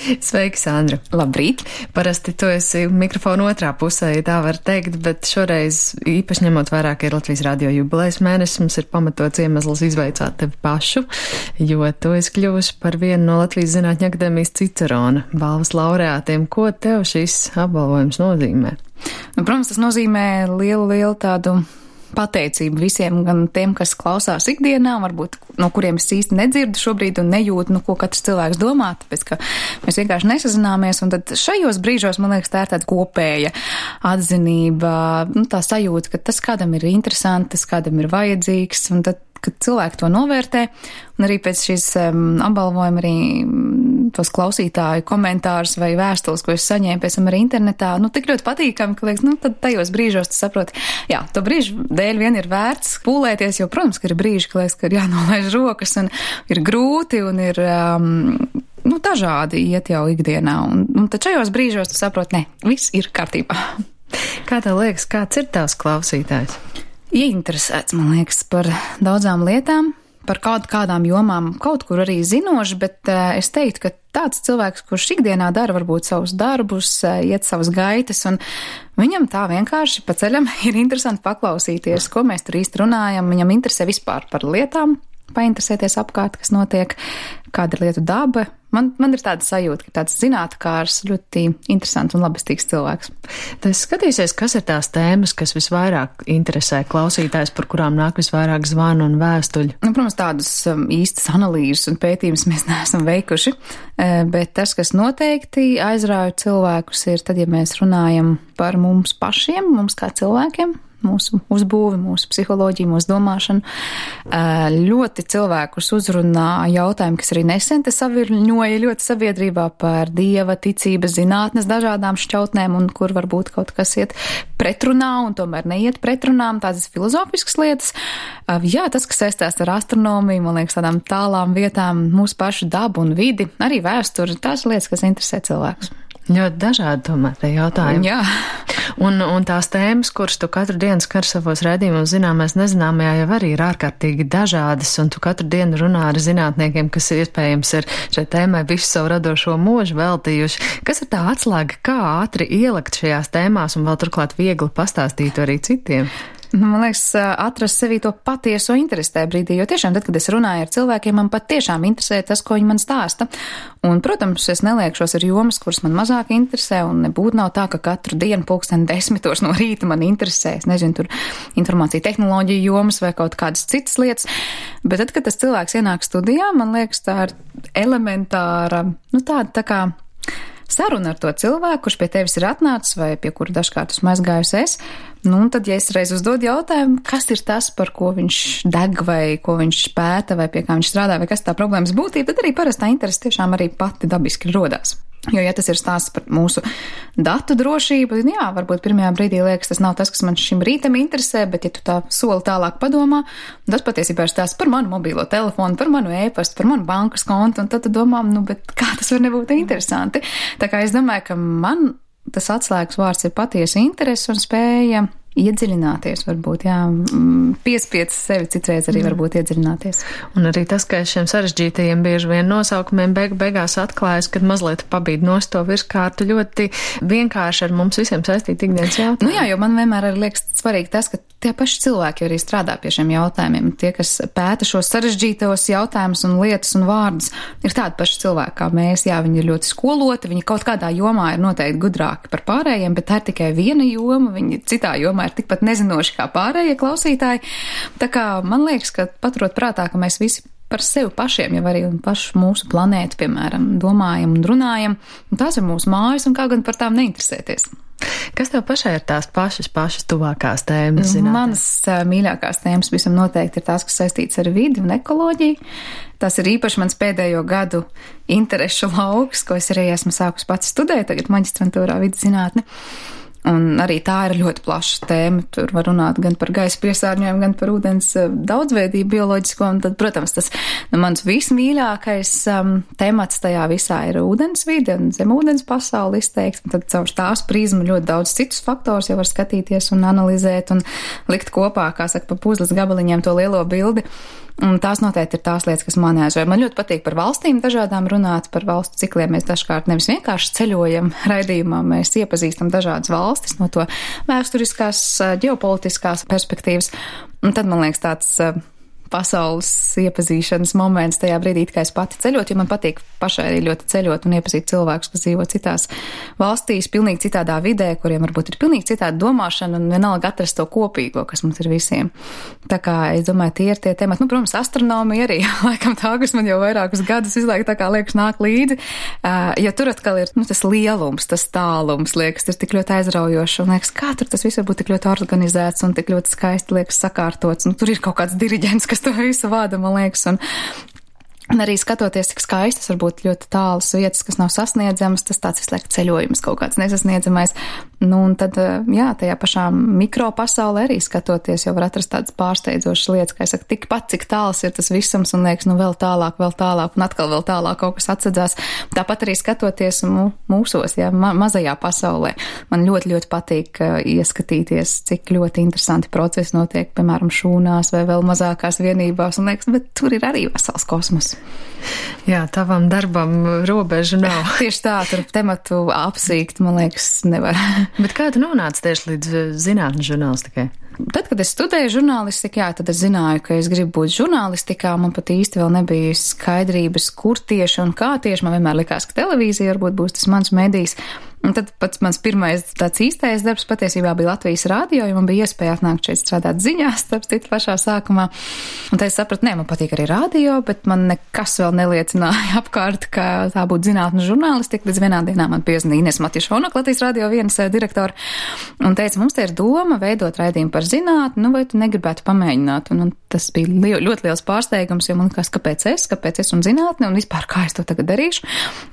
Sveiki, Sandra! Labrīt! Parasti tu esi mikrofona otrā pusē, ja tā var teikt, bet šoreiz īpaši ņemot vērā, ka ir Latvijas radio jubilejas mēnesis, mums ir pamatots iemesls izveicāt tevi pašu, jo tu esi kļuvusi par vienu no Latvijas Zinātņu akadēmijas Cicerona balvas laureātiem. Ko tev šis apbalvojums nozīmē? Protams, tas nozīmē lielu tādu pateicību visiem, gan tiem, kas klausās ikdienā, varbūt no kuriem es īsti nedzirdu šobrīd un nejūtu, ko katrs cilvēks domā, tāpēc, ka mēs vienkārši nesazināmies, un tad šajos brīžos, man liekas, tā ir tāda kopēja atzinība, tā sajūta, ka tas kādam ir interesanti, tas kādam ir vajadzīgs, un tad, kad cilvēki to novērtē, un arī pēc šīs apbalvojuma arī tos klausītāju komentārus vai vēstules, ko es saņēmu pēc tam arī internetā, tik ļoti patīkami, ka liekas, tad tajos brīžos tu saproti, jā, to brīžu dēļ vien ir vērts pūlēties, jo, protams, ka ir brīži, ka liekas, ka ir jānolaiž rokas un ir grūti un ir, dažādi iet jau ikdienā, un tad šajos brīžos tu saproti, ne, viss ir kārtībā. Kā tev liekas, kāds ir tavs klausītājs? Ieinteresēts, man liekas, par daudzām lietām, par kādām jomām, kaut kur arī zinoši, bet es teiktu, ka tāds cilvēks, kurš ikdienā dara varbūt savus darbus, iet savas gaitas, un viņam tā vienkārši pa ceļam ir interesanti paklausīties, ko mēs tur īsti runājam, viņam interesē vispār par lietām, painteresēties apkārt, kas notiek, kāda ir lietu daba. Man ir tāda sajūta, ka tāds zinātkārs, ļoti interesants un labestīgs cilvēks. Tas skatīsies, kas ir tās tēmas, kas visvairāk interesē klausītājs, par kurām nāk visvairāk zvanu un vēstuļu? Protams, tādas īstas analīzes un pētījumus mēs neesam veikuši, bet tas, kas noteikti aizrauja cilvēkus, ir tad, ja mēs runājam par mums pašiem, mums kā cilvēkiem, mūsu uzbūvi, mūsu psiholoģiju, mūsu domāšanu. Ļoti cilvēkus uzrunā jautājumi, kas arī nesen te savirņoja ļoti sabiedrībā par dieva, ticības, zinātnes dažādām šķautnēm, un kur varbūt kaut kas iet pretrunā, un tomēr neiet pretrunām, tādas filozofiskas lietas. Jā, tas, kas saistās ar astronomiju, man liekas, tādām tālām vietām, mūsu pašu dabu un vidi, arī vēsturi, tās lietas, kas interesē cilvēkus. Ļoti dažādi tomēr tie jautājumi. Jā. Un tās tēmas, kuras tu katru dienu skar savos raidījumos zināmais nezināmajā, jau arī ir ārkārtīgi dažādas, un tu katru dienu runā ar zinātniekiem, kas iespējams ir šai tēmai visu savu radošo mūžu veltījuši. Kas ir tā atslēga, kā ātri ielikt šajās tēmās un vēl turklāt viegli pastāstīt arī citiem? Man liekas, atrast sevī to patieso interesi tajā brīdī, jo tiešām tad, kad es runāju ar cilvēkiem, man pat tiešām interesē tas, ko viņi man stāsta. Un, protams, es neliekšos ar jomas, kuras man mazāk interesē, un nebūtu nav tā, ka katru dienu 10:00 no rīta man interesē, es nezinu, tur informācija tehnoloģija jomas vai kaut kādas citas lietas. Bet tad, kad tas cilvēks ienāk studijā, man liekas, tā ir elementāra, tāda tā kā saruna ar to cilvēku, kurš pie tevis ir atnācis vai pie kura dažkārt esmu aizgājusi es. Un tad, ja es reiz uzdodu jautājumu, kas ir tas, par ko viņš deg vai ko viņš pēta vai pie kā viņš strādā vai kas tā problēmas būtība, tad arī parastā interese tiešām arī pati dabiski rodās. Jo, ja tas ir stāsts par mūsu datu drošību, jā, varbūt pirmajā brīdī liekas, tas nav tas, kas man šim rītam interesē, bet ja tu tā soli tālāk padomā, tas patiesībā ir stāsts par manu mobilo telefonu, par manu e-pastu, par manu bankas kontu, un tad tu domā, bet kā tas var nebūt interesanti? Tā kā es domāju, ka man tas atslēgas vārds ir patiesa interese un spēja iedziļināties, varbūt, jā, piespiet sevi citreiz arī varbūt iedziļināties. Un arī tas, ka šiem sarežģītajiem bieži vien nosaukumiem beigās atklājas, kad mazliet pabīd nost to virskārtu ļoti vienkārši ar mums visiem saistīt ikdienas jautājumu. Jā, jo man vienmēr arī liekas svarīgi tas, ka tie paši cilvēki arī strādā pie šiem jautājumiem. Tie, kas pēta šos sarežģītos jautājumus un lietas un vārdus, ir tādi paši cilvēki kā mēs. Jā, viņi ir ļoti skoloti, viņi kaut kādā jomā ir noteikti gudrāki par pārējiem, bet tā ir tikai viena joma, viņi citā jomā ir tikpat nezinoši kā pārējie klausītāji. Tā kā man liekas, ka paturot prātā, ka mēs visi par sevi pašiem jau arī un pašu mūsu planētu, piemēram, domājam un runājam, un tās ir mūsu mājas un kā gan par tām neinteresēties. Kas tev pašai ir tās pašas tuvākās tēmas? Manas mīļākās tēmas visam noteikti ir tās, kas saistītas ar vidi un ekoloģiju. Tas ir īpaši mans pēdējo gadu interešu lauks, ko es arī esmu sākus pats studēt, tagad maģistrantūrā vidas zinātne. Un arī tā ir ļoti plaša tēma. Tur var runāt gan par gaisa piesārņojumu, gan par ūdens daudzveidību bioloģisko. Un tad, protams, tas mans vismīļākais temats tajā visā ir ūdensvide un zemūdens pasauli izteikti. Un tad caur tās prizmu ļoti daudz citus faktors jau var skatīties un analizēt un likt kopā, kā saka, pa puzles gabaliņiem to lielo bildi. Un tās noteikti ir tās lietas, kas man aizvēr. Man ļoti patīk par valstīm dažādām runāt, par valstu cikliem. Mēs dažkārt nevis vienkārši ceļojam raidījumā, mēs iepazīstam dažādas valstis no to vēsturiskās, ģeopolitiskās perspektīvas. Un tad, man liekas, tāds pasaules iepazīšanas moments tajā brīdī, kā es pati ceļot, jo man patīk pašai arī ļoti ceļot un iepazīt cilvēkus, kas dzīvo citās valstīs, pilnīgi citādā vidē, kuriem varbūt ir pilnīgi citāda domāšana un vienalga atrast to kopīgo, kas mums ir visiem. Tā kā es domāju, tie ir tie temati. Nu, protams, astronomija arī, laikam tā, kas man jau vairākus gadus visu laiku tā kā liekas nāk līdzi, jo tur atkal ir, tas lielums, tas tālums, liekas, ir tik ļoti aizraujoši un liekas, kā tur tas viss var būt tik ļoti organizēts un tik ļoti skaisti liekas sakārtots. Un tur ir kaut kāds diriģents, kas to visu vada, man liekas, un arī skatoties, cik skaistas var būt ļoti tālas vietas, kas nav sasniedzamas, tas tāds visu laiku ceļojums kaut kāds nesasniedzamais. Nu, un tad, jā, tajā pašā mikropasaulē arī skatoties, jau var atrast tādas pārsteidzošas lietas, kā es saku, tikpat, cik tāls ir tas visums, un liekas, nu vēl tālāk, un atkal vēl tālāk kaut kas atsedzās. Tāpat arī skatoties mūsos, jā, mazajā pasaulē. Man ļoti, ļoti patīk ieskatīties, cik ļoti interesanti procesi notiek, piemēram, šūnās vai vēl mazākās vienībās, un liekas, bet tur ir arī vesels kosmos. Jā, tavam darbam robežu nav. Tieši tā, tur tematu apsīkt, man liekas, nevar. Bet kā tu nonāci tieši līdz zinātnes žurnālistikai? Tad, kad es studēju žurnālistiku, jā, tad es zināju, ka es gribu būt žurnālistikā. Man pat īsti vēl nebija skaidrības, kur tieši un kā tieši. Man vienmēr likās, ka televīzija varbūt būs tas mans medijs. Un tad pats mans pirmais tāds īstais darbs patiesībā bija Latvijas rādio, jo man bija iespēja atnākt šeit strādāt ziņās, starp citu pašā sākumā. Un tad es sapratu, man patīk arī rādio, bet man nekas vēl neliecināja apkārt, ka tā būtu zinātnes žurnālistika. Līdz vienā dienā man piezvanīja Ines Matjašona, Latvijas rādio vienas direktora, un teica, mums te ir doma veidot raidījumu par zinātni, nu vai tu negribētu pamēģināt? Un tas bija ļoti liels pārsteigums, jo man likās, kāpēc es un zinātne, un vispār kā es to tagad darīšu,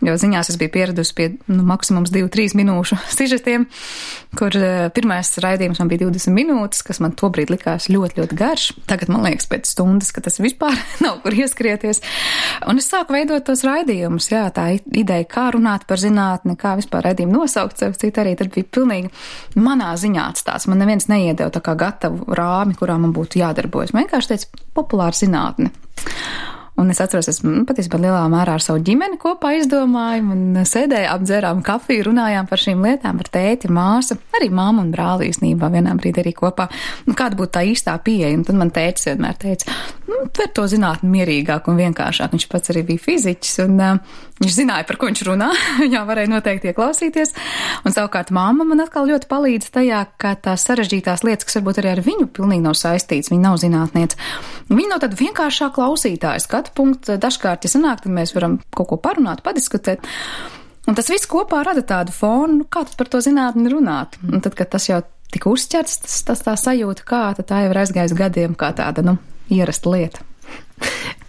jo ziņās es biju pieradusi pie maksimums 2-3 minūšu sižetiem, kur pirmais raidījums man bija 20 minūtes, kas man tobrīd likās ļoti, ļoti garš. Tagad man liekas pēc stundas, ka tas vispār nav kur ieskrieties. Un es sāku veidot tos raidījumus, jā, tā ideja, kā runāt par zinātni, kā vispār raidījumu nosaukt, sev citu arī, tad bija pilnīgi manā ziņā atstāts. Man neviens neiedeva tā kā gatavu rāmi, kurā man būtu jādarbojas. Man vienkārši teica populāra zinātne. Un es atceros, es patiesībā lielā mērā ar savu ģimeni kopā izdomāju un sēdēju, apdzērām kafiju, runājām par šīm lietām, par tēti, māsu, arī māmu un brāli īstenībā vienā brīdī arī kopā. Nu, kāda būtu tā īstā pieeja? Un tad man tētis vienmēr teica, tver to zinātni mierīgāk un vienkāršāk. Viņš pats arī bija fiziķis un viņš zināja, par ko viņš runā. Viņā varēja noteikti ieklausīties. Un savukārt mamma man atkal ļoti palīdz tajā, ka tās sarežģītās lietas, kas varbūt arī ar viņu pilnīgi nav saistīts, viņa nav zinātniece. Viņa nav tāda vienkāršā klausītāja skatu punkts. Dažkārt, ja sanāk, tad mēs varam kaut ko parunāt, padiskutēt. Un tas viss kopā rada tādu fonu, kā tad par to zinātni runāt. Un tad, kad tas jau tika uzķerts, tas tā sajūta, kā, tad tā jau ir aizgājis gadiem kā tāda, ierasta lieta.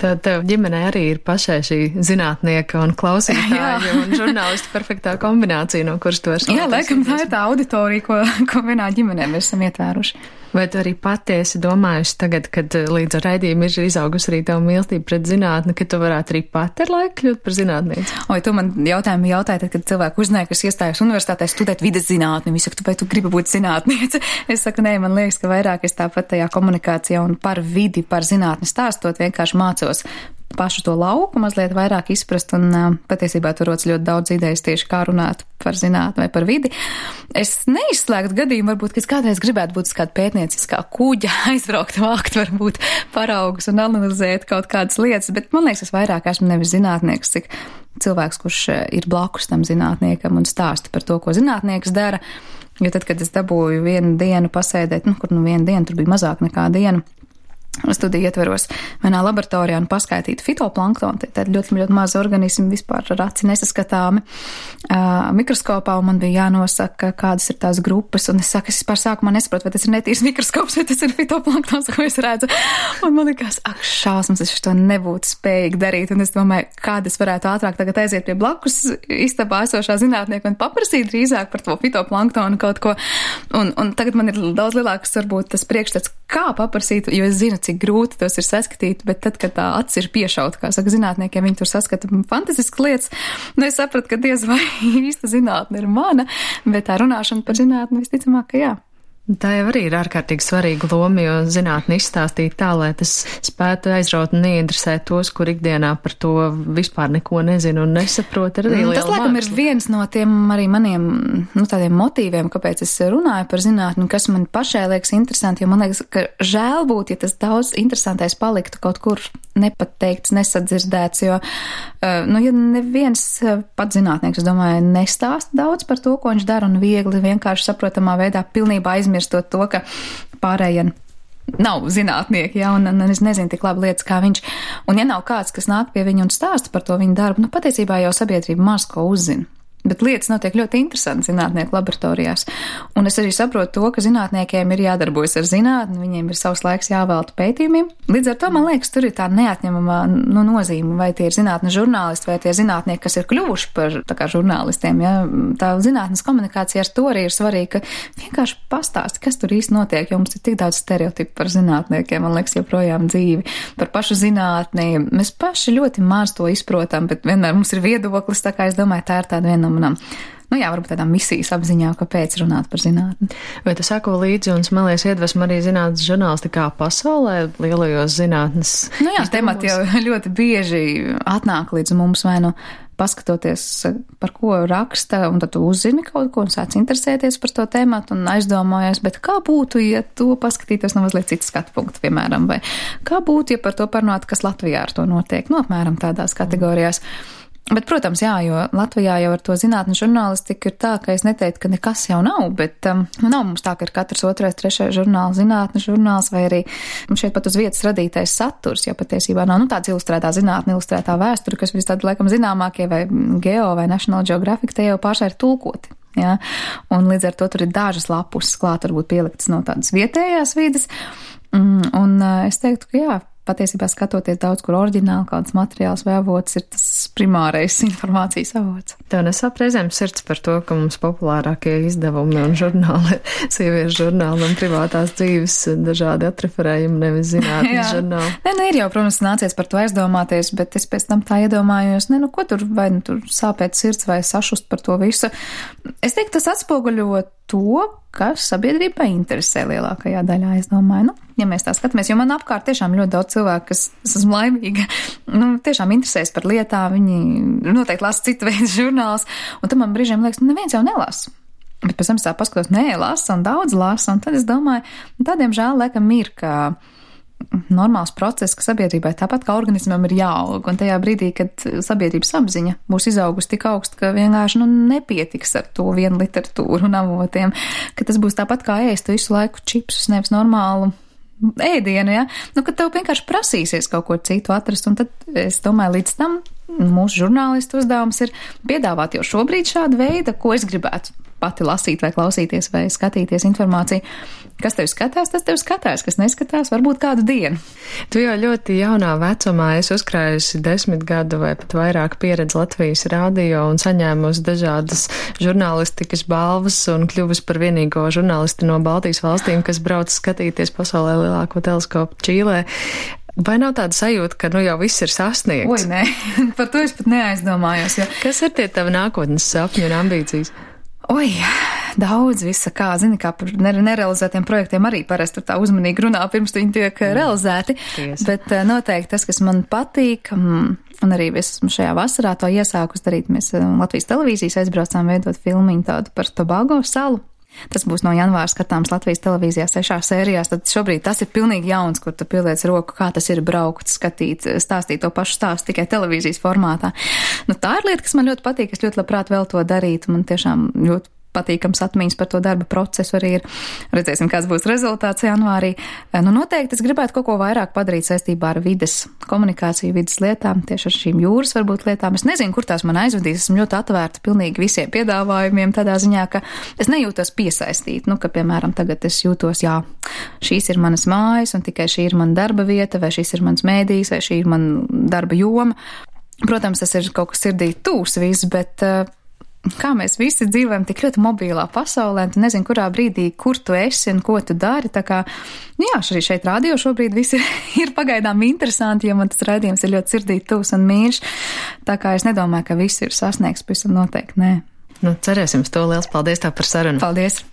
Tad tev ģimenē arī ir pašai šī zinātnieka un klausītāja un žurnālistu perfektā kombinācija, no kuras tu esi. Jā, laikam tā ir tā auditorija, ko vienā ģimenē mēs esam ietvēruši. Vai tu arī patiesi domājusi tagad, kad līdz ar raidījumu ir izaugusi arī tava mīlestība pret zinātni, ka tu varētu arī pat ar laiku kļūt par zinātnieci? Oi, tu man jautāji, tad, kad cilvēku uzzināja, kas iestājas universitātē studēt vides zinātni, viņi saka, vai tu gribi būt zinātniece? Es saku, nē, man liekas, ka vairāk es tāpat tajā komunikācijā un par vidi, par zinātni stāstot, vienkārši mācos pašu to lauku mazliet vairāk izprast, un patiesībā tur rodas ļoti daudz idejas tieši kā runāt par zinātni vai par vidi. Es neizslēgtu gadījumu, varbūt, ka es kādreiz gribētu būt kāda pētnieciskā kuģa, aizbraukt, vākt, varbūt paraugus un analizēt kaut kādas lietas, bet man liekas, es vairāk esmu nevis zinātnieks, cik cilvēks, kurš ir blakus tam zinātniekam un stāsta par to, ko zinātnieks dara, jo tad, kad es dabūju vienu dienu pasēdēt, vienu dienu, tur bija mazāk nekā dienu, studiju ietveros vienā laboratorijā un paskaitīt fitoplanktonu, tad ļoti, ļoti mazi organismi vispār ar aci nesaskatāmi mikroskopā, un man bija jānosaka, kādas ir tās grupas, un es saku, es vispār sākumā nesaprotu, vai tas ir netīrs mikroskops, vai tas ir fitoplanktons, ko es redzu, un man likās, ak, šausmas, es to nebūtu spējīgi darīt, un es domāju, kāda es varētu ātrāk tagad aiziet pie blakus istabā esošā zinātnieka un paprasīt drīzāk par to fitoplanktonu kaut ko, un tagad man ir daudz lielāks, varbūt, tas priekšstats, kā paprasīt, jo es zinu, cik grūti tos ir saskatīt, bet tad, kad tā acis ir piešauta, kā saka zinātniekiem, viņi tur saskata fantastiskas lietas, es sapratu, ka diez vai īsta zinātne ir mana, bet tā runāšana par zinātni visticamāk, ka jā. Tā jau arī ir ārkārtīgi svarīga loma, jo zinātni izstāstīt tā, lai tas spētu aizraut un ieinteresēt tos, kur ikdienā par to vispār neko nezinu un nesaprot, ir arī liela Tas, laikam, ir viens no tiem arī maniem, tādiem motīviem, kāpēc es runāju par zinātni, kas man pašai liekas interesanti, jo man liekas, ka žēl būt, ja tas daudz interesantais paliktu kaut kur nepateikts, nesadzirdēts, jo, ja neviens pat zinātnieks, es domāju, nestāsta daudz par to, ko viņš dara un viegli, vienkārši saprotamā veidā pilnībā aizmirstot to, ka pārējie nav zinātnieki, ja, un es nezinu tik labi lietas kā viņš. Un ja nav kāds, kas nāk pie viņa un stāsta par to viņa darbu, patiesībā jau sabiedrība maz ko uzzina. Bet lietas notiek ļoti interesanti zinātnieku laboratorijās. Un es arī saprotu to, ka zinātniekiem ir jādarbojas ar zinātni, viņiem ir savs laiks jāvelta pētījumiem. Līdz ar to, man liekas, tur ir tā neatņemamā nozīme, vai tie ir zinātnes žurnālisti, vai tie zinātnieki, kas ir kļuvuši par tā kā žurnālistiem. Ja? Tā zinātnes komunikācija ar to arī ir svarīga, ka vienkārši pastāsti, kas tur īsti notiek, jo mums ir tik daudz stereotipu par zinātniekiem, man liekas, joprojām dzīvi, par pašu zinātni. Mēs paši ļoti maz to izprotam, bet vienmēr mums ir viedoklis, tā kā es domāju, tā ir tāda viena no manām, varbūt tādām misijas apziņā, kāpēc runāt par zinātni. Vai tu sako līdzi un smelies iedvesmu arī zinātnes žurnālistikā pasaulē, lielajos zinātnes? Temati jau ļoti bieži atnāk līdz mums, vai paskatoties, par ko raksta, un tad tu uzzini kaut ko un sāc interesēties par to tematu un aizdomājies, bet kā būtu, ja to paskatītos no mazliet citas skatu punktu, piemēram, vai kā būtu, ja par to parunāt, kas Latvijā ar to notiek, apmēram tādās kategorijās. Bet, protams, jo Latvijā jau ar to zinātnes žurnālistiku ir tā, ka es neteiktu, ka nekas jau nav, bet nav mums tā, ka ir katrs otrais, trešais žurnāls, zinātnes žurnāls, vai arī šeit pat uz vietas radītais saturs, jo patiesībā nav tāds ilustrētā zinātne, ilustrētā vēsture, kas visi tādi laikam zināmākie, vai Geo vai National Geographic, te jau pašai ir tulkoti. Ja? Un līdz ar to tur ir dažas lapus klāt, varbūt pieliktas no tādas vietējās vides, un es teiktu, ka patiesībā skatoties daudz, kur oriģināli kāds materiāls vai avots ir tas primārais informācijas avots. Tev nesāp reizēm sirds par to, ka mums populārākie izdevumi un žurnāli, sieviešu žurnāli un privātās dzīves dažādi atreferējumi, nevis zinātnes žurnāli. Ir jau, protams, nācies par to aizdomāties, bet es pēc tam tā iedomājos, ko tur, vai tur sāpēt sirds vai sašust par to visu. Es teiktu, tas atspoguļo to, kas sabiedrībai interesē lielākajā daļā, es domāju, ja mēs tā skatāmies, jo man apkārt tiešām ļoti daudz cilvēku, kas esmu laimīga, tiešām interesēs par lietām, viņi noteikti lasa citu veidu žurnāls, un tad man brīžiem liekas, neviens jau nelasa. Bet pēc tam es tā paskatos, lasa un daudz lasa, un tad es domāju, tādiem žēl laikam ir, ka normāls process, ka sabiedrībai tāpat kā organismam ir jāaug, un tajā brīdī, kad sabiedrības apziņa būs izaugusi tik augstu, ka vienkārši nepietiks ar to vienu literatūru un avotiem, ka tas būs tāpat kā ēst visu laiku čipsus, nevis normālu ēdienu, ja? Kad tev vienkārši prasīsies kaut ko citu atrast, un tad es domāju, līdz tam mūsu žurnālistu uzdevums ir piedāvāt jau šobrīd šādu veidu, ko es gribētu pati lasīt vai klausīties vai skatīties informāciju. Kas tev skatās, tas tev skatās, kas neskatās, varbūt kādu dienu. Tu jau ļoti jaunā vecumā esi uzkrājusi 10 gadu vai pat vairāk pieredzi Latvijas rādio un saņēmusi dažādas žurnālistikas balvas un kļuvusi par vienīgo žurnālisti no Baltijas valstīm, kas brauc skatīties pasaulē lielāko teleskopu Čīlē. Vai nav tāda sajūta, ka jau viss ir sasniegts? Oi, nē, par to es pat neaizdomājos. Jo... Kas ir tie tavi nākotnes sapņi un ambīcijas? Daudz visa kā, kā par nerealizētiem projektiem arī parasti tā uzmanīgi runā, pirms viņi tiek realizēti. Bet noteikti tas, kas man patīk, un arī es esmu šajā vasarā to iesākus darīt, mēs Latvijas televīzijas aizbraucām veidot filmiņu tādu par Tobago salu. Tas būs no janvāra skatāms Latvijas televīzijā 6 sērijās, tad šobrīd tas ir pilnīgi jauns, kur tu pieliec roku, kā tas ir braukt, skatīt, stāstīt to pašu stāstu tikai televīzijas formātā. Tā ir lieta, kas man ļoti patīk, es ļoti labprāt vēl to darītu, man tiešām ļoti patīkams atmiņas par to darba procesu arī ir. Redzēsim, kāds būs rezultāts janvārī. Noteikti es gribētu kaut ko vairāk padarīt saistībā ar vides komunikāciju, vides lietām, tieši ar šīm jūras varbūt lietām. Es nezinu, kur tās man aizvedīs, esmu ļoti atvērta pilnīgi visiem piedāvājumiem tādā ziņā, ka es nejūtos piesaistīt, ka, piemēram, tagad es jūtos, šīs ir manas mājas un tikai šī ir mana darba vieta, vai šīs ir mans mēdījis, vai šī ir mana darba joma. Protams, tas ir kaut kas sirdī tūs viss, bet kā mēs visi dzīvojam tik ļoti mobilā pasaulē, un tu nezini, kurā brīdī, kur tu esi un ko tu dari, tā kā, arī šeit radio šobrīd viss ir pagaidām interesanti, jo man tas raidījums ir ļoti sirdī tūs un mīļš, tā kā es nedomāju, ka viss ir sasniegts, pavisam noteikti nē. Cerēsim uz to. Liels paldies tev par sarunu. Paldies!